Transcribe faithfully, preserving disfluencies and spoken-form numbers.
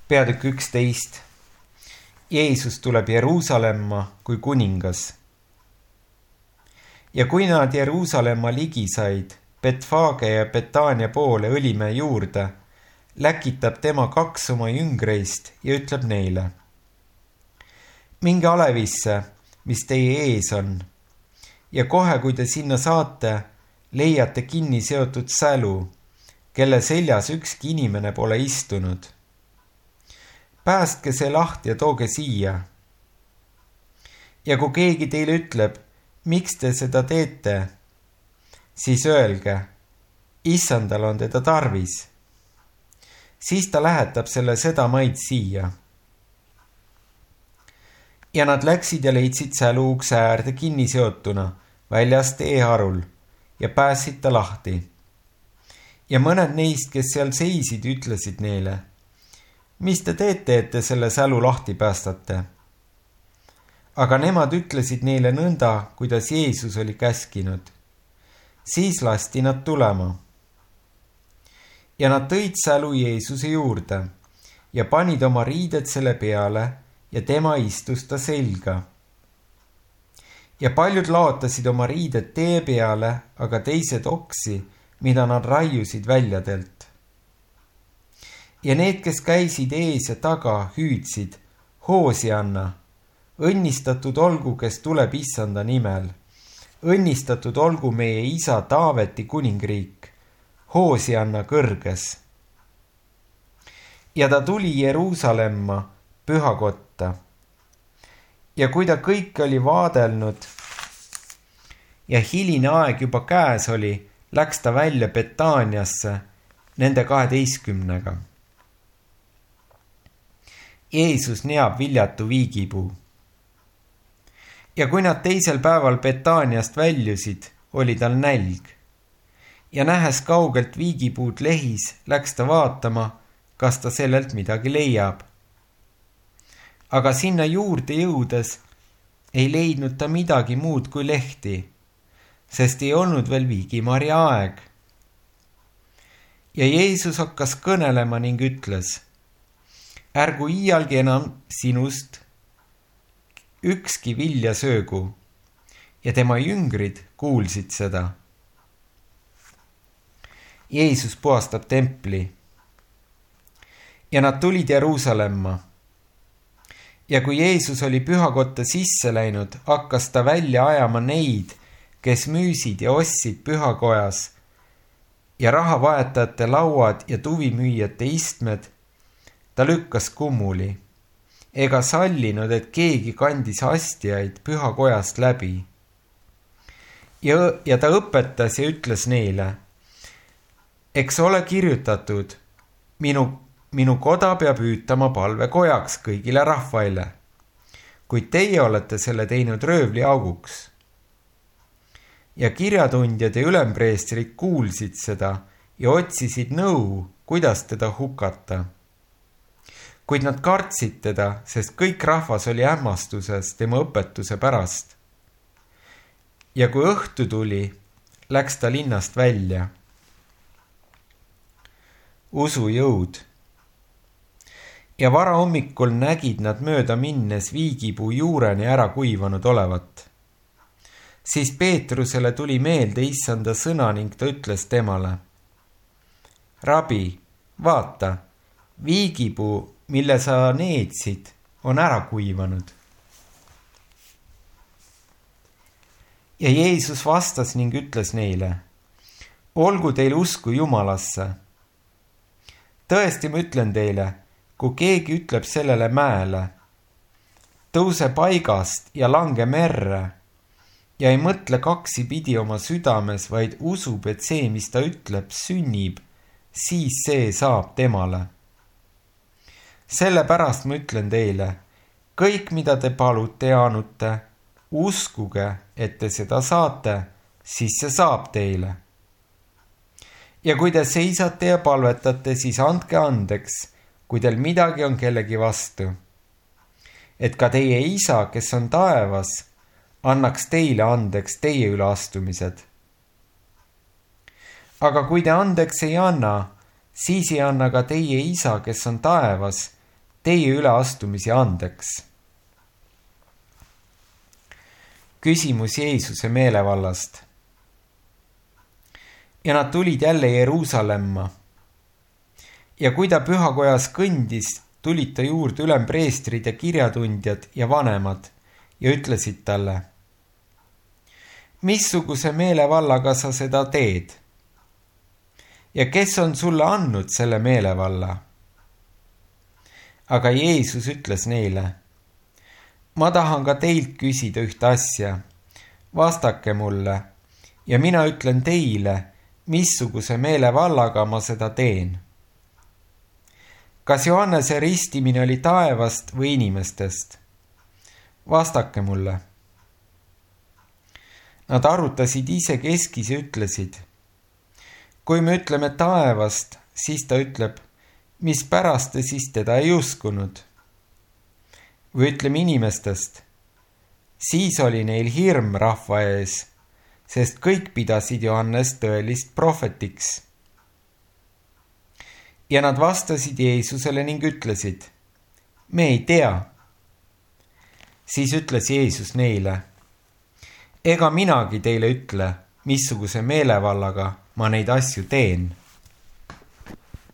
Peatükk üksteist. Jeesus tuleb Jeruusalemma kui kuningas. Ja kui nad Jeruusalemma ligi said, Betfage ja Betania poole Õlimäe juurde, läkitab tema kaks oma jüngreist ja ütleb neile: minge alevisse, mis teie ees on, ja kohe, kui te sinna saate, leiate kinni seotud sälu, kelle seljas ükski inimene pole istunud. Päästke see lahti ja tooge siia. Ja kui keegi teile ütleb, miks te seda teete, siis öelge: issandal on teda tarvis. Siis ta lähetab selle sedamaid siia. Ja nad läksid ja leidsid sälu ukse äärde kinni seotuna väljas teeharul ja päästsid ta lahti. Ja mõned neist, kes seal seisid, ütlesid neile: mis te teete, et te selle sälu lahti päästate? Aga nemad ütlesid neile nõnda, kuidas Jeesus oli käskinud. Siis lasti nad tulema. Ja nad tõid sälu Jeesuse juurde ja panid oma riided selle peale ja tema istus ta selga. Ja paljud laotasid oma riided tee peale, aga teised oksi, mida nad raiusid väljadelt. Ja need, kes käisid ees ja taga, hüüdsid: Hoosianna, õnnistatud olgu, kes tuleb issanda nimel. Õnnistatud olgu meie isa Taaveti kuningriik. Hoosianna kõrges. Ja ta tuli Jeruusalemma pühakotta. Ja kui ta kõik oli vaadelnud ja hiline aeg juba käes oli, läks ta välja Betaniasse nende kaheteistkümnega. Jeesus neab viljatu viigipuu. Ja kui nad teisel päeval Betaniast väljusid, oli tal nälg. Ja nähes kaugelt viigipuud lehis, läks ta vaatama, kas ta sellelt midagi leiab. Aga sinna juurde jõudes ei leidnud ta midagi muud kui lehti, sest ei olnud veel viigimarja aeg. Ja Jeesus hakkas kõnelema ning ütles: ärgu iialgi enam sinust ükski vilja söögu. Ja tema jüngrid kuulsid seda. Jeesus puhastab templi. Ja nad tulid Jeruusalemma. Ja kui Jeesus oli pühakotta sisse läinud, hakkas ta välja ajama neid, kes müüsid ja ostsid pühakojas, ja rahavahetajate lauad ja tuvimüüjate istmed ta lükkas kummuli, ega sallinud, et keegi kandis astjaid pühakojast läbi. Ja, ja ta õpetas ja ütles neile: eks ole kirjutatud, minu, minu koda peab hüütama palvekojaks kõigile rahvaile, kuid teie olete selle teinud röövliauguks. Ja kirjatundjad ja ülempreestrid kuulsid seda ja otsisid nõu, kuidas teda hukata. Kuid nad kartsid teda, sest kõik rahvas oli hämmastuses tema õpetuse pärast. Ja kui õhtu tuli, läks ta linnast välja. Usujõud. Ja varahommikul nägid nad mööda minnes viigipuu juureni ära kuivanud olevat. Siis Peetrusele tuli meelde issanda sõna ning ta ütles temale: Rabi, vaata, viigipuu, mille sa needsid, on ära kuivanud. Ja Jeesus vastas ning ütles neile: olgu teil usku Jumalasse. Tõesti ma ütlen teile, kui keegi ütleb sellele mäele: tõuse paigast ja lange merre, ja ei mõtle kaksipidi oma südames, vaid usub, et see, mis ta ütleb, sünnib, siis see saab temale. Sellepärast ma ütlen teile, kõik, mida te palute ja anute, uskuge, et te seda saate, siis see saab teile. Ja kui te seisate ja palvetate, siis andke andeks, kui teil midagi on kellegi vastu. Et ka teie isa, kes on taevas, annaks teile andeks teie üleastumised. Aga kui te andeks ei anna, siis ei anna ka teie isa, kes on taevas, teie üleastumisi andeks. Küsimus Jeesuse meelevallast. Ja nad tulid jälle Jeruusalemma. Ja kui ta pühakojas kõndis, tulid ta juurde ülempreestrid ja kirjatundjad ja vanemad ja ütlesid talle: missuguse meelevallaga sa seda teed? Ja kes on sulle andnud selle meelevalla? Aga Jeesus ütles neile: ma tahan ka teilt küsida ühte asja. Vastake mulle ja mina ütlen teile, missuguse meelevallaga ma seda teen. Kas Johannese ristimine oli taevast või inimestest? Vastake mulle. Nad arutasid ise keskis ja ütlesid: kui me ütleme taevast, siis ta ütleb, mispärast te siis teda ei uskunud? Või ütleme inimestest, siis oli neil hirm rahva ees, sest kõik pidasid Johannes tõelist prohvetiks. Ja nad vastasid Jeesusele ning ütlesid: me ei tea. Siis ütles Jeesus neile: ega minagi teile ütle, missuguse meelevallaga ma neid asju teen.